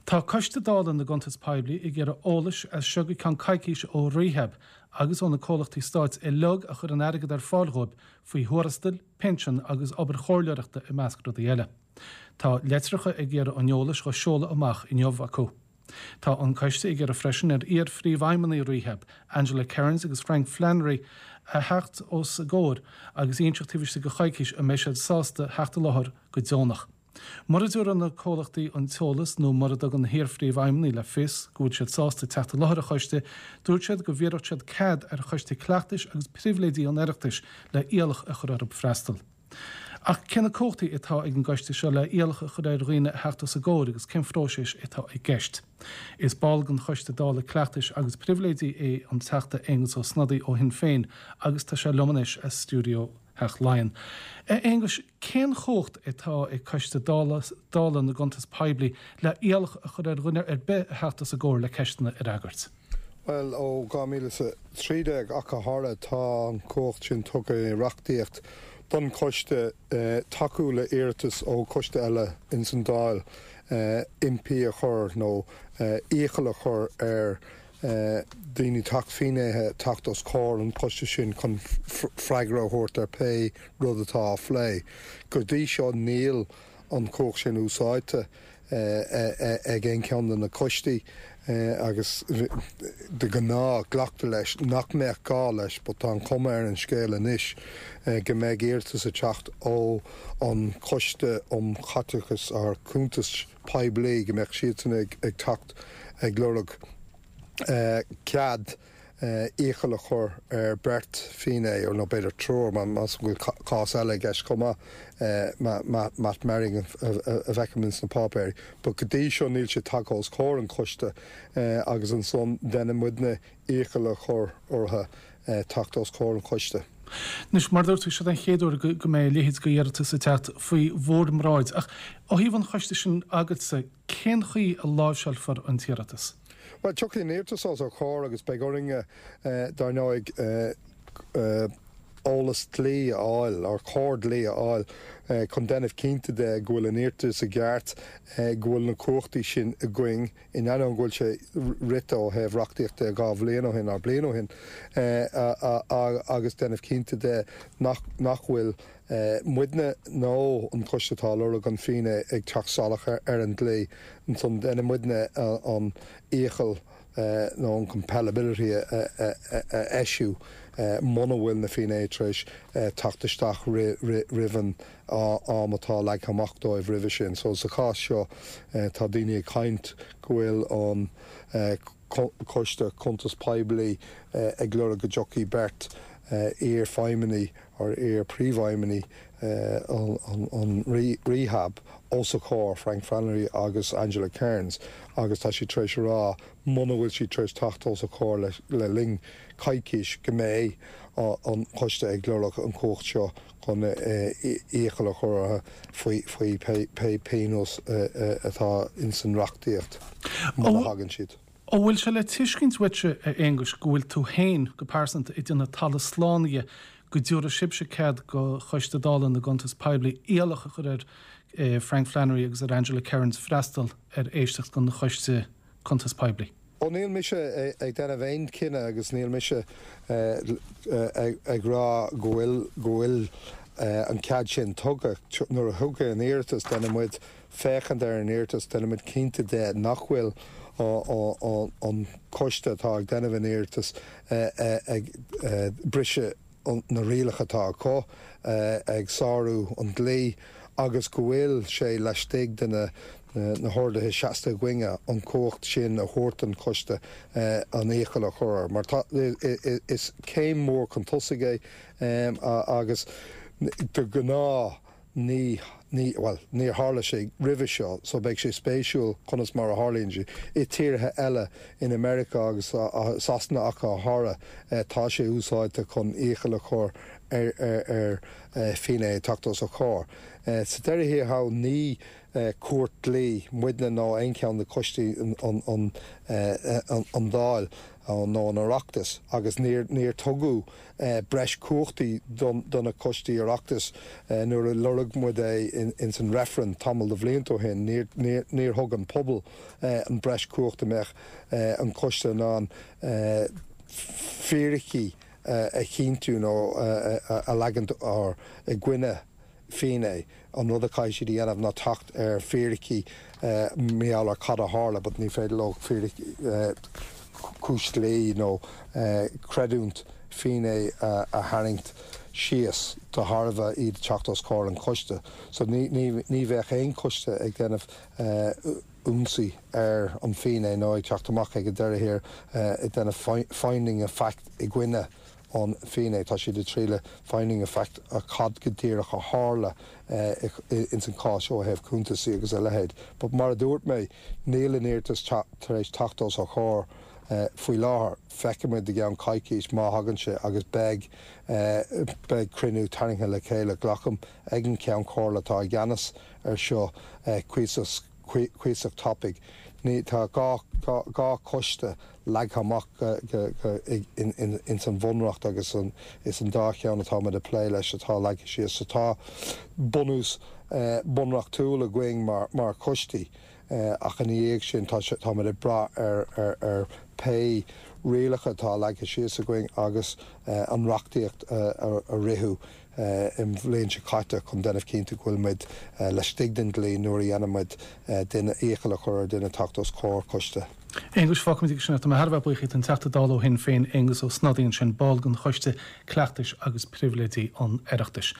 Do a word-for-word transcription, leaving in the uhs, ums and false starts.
Tá Coiste Dála na gCuntas Poiblí ag iarraidh eolais as seo go ceann coicíse ó Rehab agus ó na comhlachtaí stáit uilig a chuir an airgead ar fáil dóibh faoi thuarastail, pinsin agus obair chomhairleoireachta i measc rudaí eile. Tá litreacha ag iarraidh an eolais á seoladh amach inniu acu. Tá an coiste ag iarraidh freisin ar iar-phríomhfheidhmeannaigh Rehab, Angela Cairns agus Frank Flannery a theacht os a gcomhair agus inseacht taobh istigh de choicís an mbeidh siad sásta theacht i láthair go deonach. Mura dtabharann na comhlachtaí an t-eolas nó mura dtugann na hiar-phríomhfheidhmeannaigh le fios go bhfuil siad sásta teacht i láthair an choiste, dúirt siad go bhfiafródh siad cead ar Choiste Cleachtais agus Pribhléidí an Oireachtais le iallach a chur orthu freastal. Ach cé na cumhachtaí atá ag an gcoiste seo le iallach a chur ar dhaoine a theacht os a gcomhair agus cén phróiseas atá i gceist. Is ball den Choiste Dála Cleachtais agus Pribhléidí é an Teachta Aengus Ó Snodaigh ó Shinn Féin agus tá sé liom anois as stiúideo Theach Laighean. Aengus, cén chumhacht atá ag Coiste Dála Dála na gCuntas Poiblí le iallach a chur ar dhuine ar bith a theacht os a gcomhair le ceisteanna a fhreagairt. Well ó dhá mhíle trí déag ach go háirithe tá an chumhacht sin tugtha i reachtaíocht don choiste eh, tacú le iarratas ó choiste eile ins an Dáil eh, impí a chur nó eh, iachall a chur ar eh, daoine teacht finnéithe teacht os comhair an choiste sin chun freagra a thabhairt ar pé rud atá á phlé. Go dtí seo níl an chumhacht sin úsáidte ag aon cheann de na coistí agus de ghnáth glactar leis nach mbeadh gá leis, but tá an chuma ar an scéal anois go mbeidh iarratas ag teacht ó an Choiste um Chaiteachas ar Cuntas Poiblí go mbeadh siadsan ag ag teacht ag lorg cead iachall a chur ar beirt finné or nó b'fhéidir triúr más bhfuil cás eile i gceist chomh maith Matt Merring a bhfeicim ins na páipéirí. But go dtí seo níl sé tagtha os comhair an choiste agus ansan déanann muidne iachall a chur orthu teacht os comhair an choiste. Anois mar dúirt tú seo an chéad uair go mbeidh a leithéid d'iarratas ag teacht faoi bhur mbráid ach ó thaobh an choiste sin agatsa cén chaoi a láimhseálfar an t-iarratas. Well tiocfaidh an iarratas os ár gcomhair agus beidh orainn dar ndóigh eolas dlí a fháil ar chóir dlí a fháil chun déanamh cinnte de go bhfuil an iarratas i gceart go bhfuil na cumhachtaí sin againn in ainneoin go bhfuil sé rite ó thaobh reachtaíochta dhá bhliain ó shin ar bliain ó shin agus déanamh cinnte de nach nach bhfuil muidne nó an coiste atá lorg an finné ag teacht salach ar an dlí ansan déanann muidne an iachall nó an compellability a eisiú muna bhfuil na finné tar éis teacht isteach roimh an am atá leagtha amach dóibh roimhe sin. So sa chás seo tá daoine ag caint go bhfuil an Coiste Cuntas Poiblí ag lorg go dtiocfaidh beirt iar-fheidhmeannaigh or iar-phríomhfheidhmeannaigh an Rehab os a chomhair Frank Flannery agus Angela Cairns agus tá sí tar éis rá muna bhfuil sí tar éis teacht os a chomhair le linn coicís go mbeidh an coiste ag lorg an chumhacht seo chun iachall a chur faoi faoi pé pionós atá ins an reachtaíocht muna thagann siad. An bhfuil sé le tuiscint uaitse a Aonghuis go bhfuil tú féin go pearsanta ag déanamh talamh slán dhe go dtabharfaidh sibhse cead do Choiste Dála na gCuntas Poiblí iallach a chur ar Frank Flannery agus ar Angela Cairns freastal ar éisteacht den Choiste Cuntas Poiblí. Ó níl mise ag déanamh aon chinneadh agus níl mise ag rá go bhfuil go bhfuil an cead sin tugtha nuair a thugadh an iarratas déanann muid féachaint ar an iarratas déanann muid cinnte de nach bhfuil an coiste atá ag déanamh an iarratas ag briseadh na rialacha atá acu ag sárú an dlí agus go bhfuil sé laistigh de na na horduithe seasta againne an chumhacht sin a thabhairt an coiste an iachall a chur mar tá is céim mór chun tosaigh é agus de ghnáth ní ní well níor tharla sé roimhe seo so beidh sé spéisiúil conas mar a tharlaíonn sé i tíortha eile in America agus Sasana ach go háirithe tá sé úsáidte chun iachall a chur ar ar ar finné teacht os a chomhair. Sa deireadh thiar thall ní cúirt dlí, muidne nó aon cheann de choistí an an Dáil nó an Oireachtas agus níor níor tugadh breis cumhachtaí do na coistí Oireachtais nuair a lorg muid é in san reifreann tamall de bhlianta ó shin, níor níor thug an pobal an breis cumhacht a mbeadh an coiste in ann fíricí a chinntiú nó a leagan ar i gcoinne finné an rud a chaithfidh siad a dhéanamh ná teacht ar fíricí mar gheall ar cad a tharla, but ní féidir leo fíric cúis dlí nó creidiúint finné a tharraingt síos de thairbhe iad teacht os comhair an choiste. So ní ní ní bheadh aon choiste ag déanamh ionsaí ar an finné nó ag teacht amach ag an deireadh thiar ag déanamh finding of fact i gcoinne an finné tá siad ag triail finding of fact a cad go díreach a tharla ins an cás ó thaobh cuntasaí agus a leithéid. But mar a dúirt mé níl an iarratas tar éis teacht os ár gcomhair faoi láthair feicfimid i gceann coicís má thagann sé agus beidh beidh cruinniú tarraingthe le chéile glacaim ag an Ceann Comhairle atá i gceannas ar seo cuíosach cuíosach tapaidh. Ní tá dhá dhá choiste leagtha amach ins an bhunreacht agus an is an dá cheann atá ag plé leis atá leagtha síos so tá bunús bunreachtúil againn mar mar choistí ach ina dhiaidh sin tá táimid ag brath ar ar ar pé rialacha atá leagtha síos againn agus an reachtaíocht a ritheadh i mbliain seo caite chun déanamh cinnte go bhfuil muid laistigh den dlí nuair a dhéanaimid duine iachall a chur ar duine teacht os comhair coiste. Aengus fágfaimid ag sin tá mé thar a bheith buíoch den Teachta Dála ó Shinn Féin Aengus Ó Snodaigh ansin ball den Choiste Cleachtais agus Pribhléidí an Oireachtais.